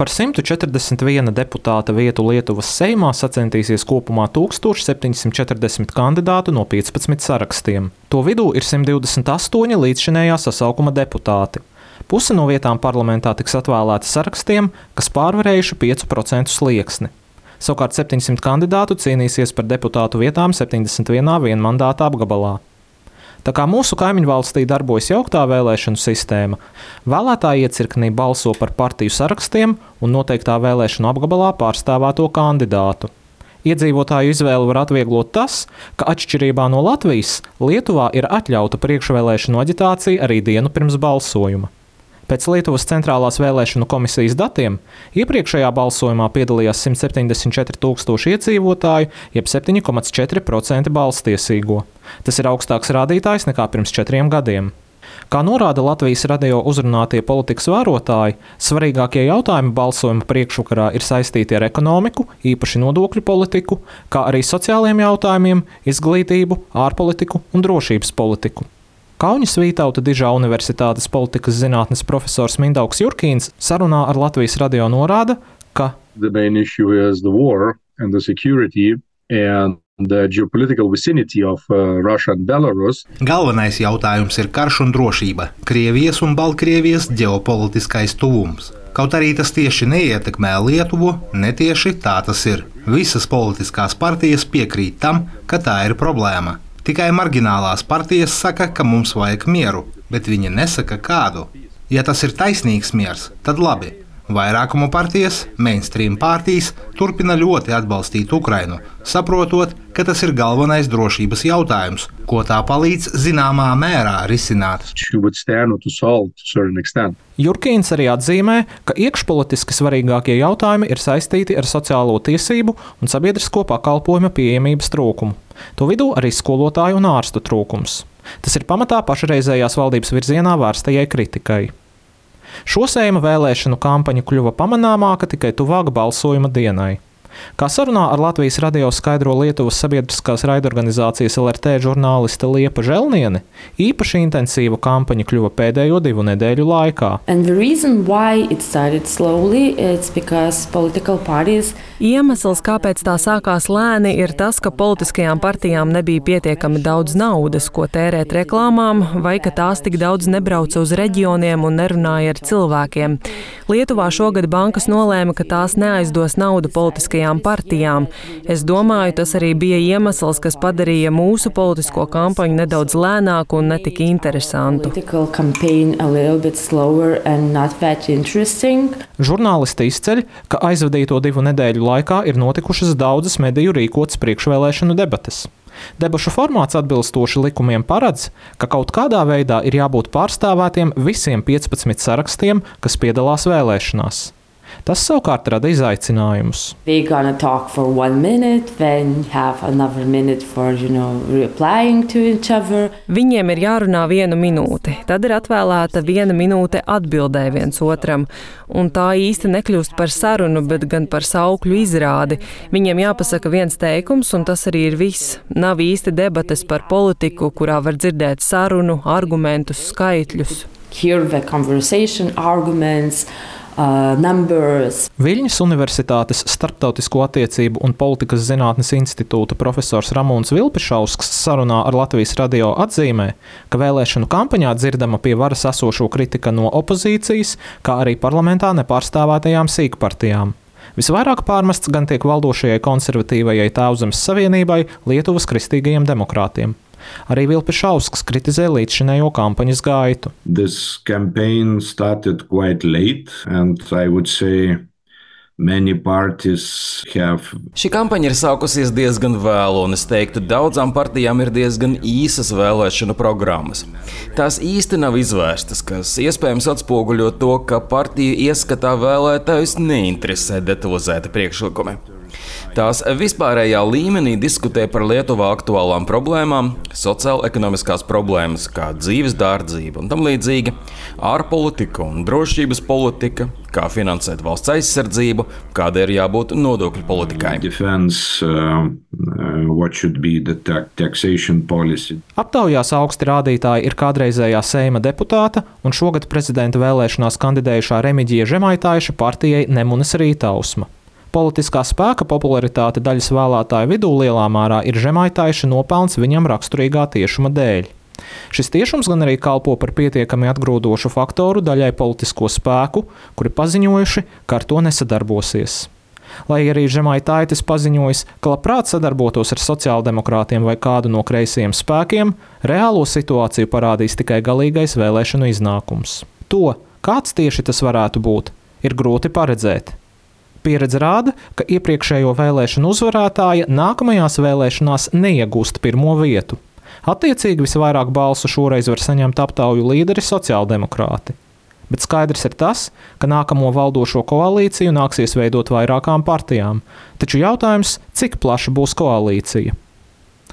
Par 141 deputāta vietu Lietuvas Seimā sacentīsies kopumā 1740 kandidātu no 15 sarakstiem. To vidū ir 128 līdzšinējā sasaukuma deputāti. Puse no vietām parlamentā tiks atvēlēta sarakstiem, kas pārvarējuši 5% slieksni. Savukārt 700 kandidātu cīnīsies par deputātu vietām 71 vienmandāta apgabalā. Tā kā mūsu kaimiņvalstī darbojas jauktā vēlēšanu sistēma, vēlētāji iecirknī balso par partiju sarakstiem un noteiktā vēlēšanu apgabalā pārstāvēto kandidātu. Iedzīvotāju izvēli var atvieglot tas, ka atšķirībā no Latvijas, Lietuvā ir atļauta priekšvēlēšanu aģitācija arī dienu pirms balsojuma. Pēc Lietuvas centrālās vēlēšanu komisijas datiem iepriekšējā balsojumā piedalījās 174 000 iedzīvotāju, jeb 7,4% balstiesīgo. Tas ir augstāks rādītājs nekā pirms 4 gadiem. Kā norāda Latvijas radio uzrunātie politikas vērotāji, svarīgākie jautājumi balsojuma priekšvakarā ir saistīti ar ekonomiku, īpaši nodokļu politiku, kā arī sociālajiem jautājumiem, izglītību, ārpolitiku un drošības politiku. Kauņas Vītauta Dižā Universitātes politikas zinātnes profesors Mindaugs Jurkīns sarunā ar Latvijas radio norāda, ka the main issue is the war and the security and the geopolitical vicinity of Russia and Belarus. Galvenais jautājums ir karš un drošība, Krievijas un Baltkrievijas ģeopolitiskais tuvums. Kaut arī tas tieši neietekmē Lietuvu, netieši tā tas ir. Visas politiskās partijas piekrīt tam, ka tā ir problēma. Tikai marģinālās partijas saka, ka mums vajag mieru, bet viņi nesaka kādu. Ja tas ir taisnīgs miers, tad labi. Vairākuma partijas, mainstream partijas, turpina ļoti atbalstīt Ukrainu, saprotot, ka tas ir galvenais drošības jautājums, ko tā palīdz zināmā mērā risināt. Jurkīns arī atzīmē, ka iekšpolitiski svarīgākie jautājumi ir saistīti ar sociālo tiesību un sabiedrisko pakalpojumu pieejamības trūkumu. To vidū arī skolotāju un ārstu trūkums. Tas ir pamatā pašreizējās valdības virzienā vērstajai kritikai. Šo Seima vēlēšanu kampaņa kļuva pamanāmāka tikai tuvāk balsojuma dienai. Kā sarunā ar Latvijas radio skaidro Lietuvas sabiedriskās raidorganizācijas LRT žurnāliste Liepa Želniene, īpaši intensīva kampaņa kļuva pēdējo 2 nedēļu laikā. Iemesls, kāpēc tā sākās lēni, ir tas, ka politiskajām partijām nebija pietiekami daudz naudas, ko tērēt reklāmām, vai ka tās tik daudz nebrauca uz reģioniem un nerunāja ar cilvēkiem. Lietuvā šogad bankas nolēma, ka tās neaizdos naudu politiskajām partijām. Es domāju, tas arī bija iemesls, kas padarīja mūsu politisko kampaņu nedaudz lēnāku un netik interesantu. Žurnālisti izceļ, ka aizvadīto 2 nedēļu laikā ir notikušas daudzas mediju rīkotas priekšvēlēšanu debates. Debašu formāts atbilstoši likumiem paredz, ka kaut kādā veidā ir jābūt pārstāvētiem visiem 15 sarakstiem, kas piedalās vēlēšanās. Tas savukārt rada izaicinājumus. Viņiem ir jārunā 1 minūte, tad ir atvēlēta 1 minūte atbildēji viens otram. Un tā īsti nekļūst par sarunu, bet gan par saukļu izrādi. Viņiem jāpasaka viens teikums, un tas arī ir viss. Nav īsti debates par politiku, kurā var dzirdēt sarunu, argumentus, skaitļus. Viļņas Universitātes Starptautisko attiecību un politikas zinātnes institūta profesors Ramūns Vilpišausks sarunā ar Latvijas radio atzīmē, ka vēlēšanu kampaņā dzirdama pie varas esošo kritika no opozīcijas, kā arī parlamentā nepārstāvētajām sīkpartijām. Visvairāk pārmests gan tiek valdošajai konservatīvajai Tēvzemes savienībai, Lietuvas kristīgajiem demokrātiem. Arī Vilpišausks kritizē līdzšinējo kampaņas gaitu. This campaign started quite late, and I would say many parties have. Šī kampaņa ir sākusies diezgan vēlu, un es teiktu, daudzām partijām ir diezgan īsas vēlēšanu programmas. Tās īsti nav izvērstas, kas iespējams atspoguļo to, ka partiju ieskatā vēlētājus neinteresē detalizēti priekšlikumi. Tās vispārējā līmenī diskutē par Lietuvā aktuālām problēmām, sociālo-ekonomiskās problēmas, kā dzīves dārdzība un tam līdzīgi, ārpolitika un drošības politika, kā finansēt valsts aizsardzību, kāda ir jābūt nodokļu politikai. Aptaujās augsti rādītāji ir kādreizējā Seima deputāta un šogad prezidenta vēlēšanās kandidējušā Remigija Žemaitaiša partijai Nemunas Rītausma. Politiskā spēka popularitāte daļas vēlētāju vidū lielā mērā ir Žemaitaiša nopelns viņam raksturīgā tiešuma dēļ. Šis tiešums gan arī kalpo par pietiekami atgrūdošu faktoru daļai politisko spēku, kuri paziņojuši, ka ar to nesadarbosies. Lai arī Žemaitaitis paziņojis, ka labprāt sadarbotos ar sociāldemokrātiem vai kādu no kreisajiem spēkiem, reālo situāciju parādīs tikai galīgais vēlēšanu iznākums. To, kāds tieši tas varētu būt, ir grūti paredzēt. Pieredze rāda, ka iepriekšējo vēlēšanu uzvarētāja nākamajās vēlēšanās neiegūst pirmo vietu. Attiecīgi visvairāk balsu šoreiz var saņemt aptauju līderi sociāldemokrāti. Bet skaidrs ir tas, ka nākamo valdošo koalīciju nāksies veidot vairākām partijām, taču jautājums, cik plaša būs koalīcija.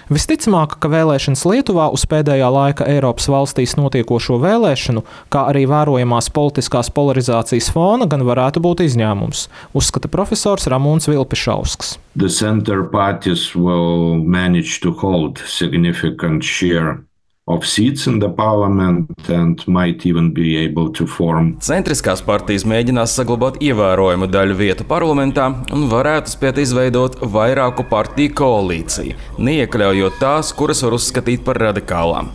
Visticamāk, ka vēlēšanas Lietuvā uz pēdējā laika Eiropas valstīs notiekošo vēlēšanu, kā arī vērojamās politiskās polarizācijas fona gan varētu būt izņēmums, uzskata profesors Ramūns Vilpišausks. The center parties will manage to hold significant share of seats in the parliament and might even be able to form. Centriskās partijas mēģinās saglabāt ievērojumu daļu vietu parlamentā un varētu spēt izveidot vairāku partiju koalīciju, neiekļaujot tās, kuras var uzskatīt par radikālām.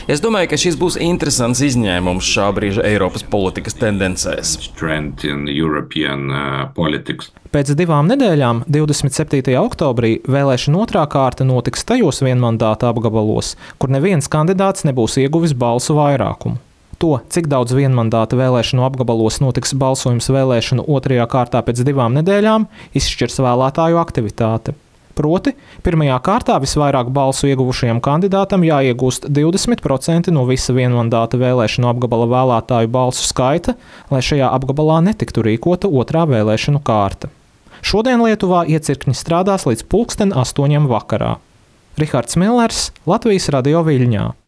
Es domāju, ka šis būs interesants izņēmums šā brīža Eiropas politikas tendencēs. Pēc 2 nedēļām, 27. oktobrī, vēlēšana otrā kārta notiks tajos vienmandāta apgabalos, kur neviens kandidāts nebūs ieguvis balsu vairākumu. To, cik daudz vienmandāta vēlēšanu apgabalos notiks balsojums vēlēšanu otrajā kārtā pēc 2 nedēļām, izšķirs vēlētāju aktivitāte. Proti, pirmajā kārtā visvairāk balsu ieguvušajam kandidātam jāiegūst 20% no visa vienmandāta vēlēšanu apgabala vēlētāju balsu skaita, lai šajā apgabalā netiktu rīkota otrā vēlēšanu kārta. Šodien Lietuvā iecirkņi strādās līdz 8:00 vakarā. Rihards Millers, Latvijas Radio Viļņā.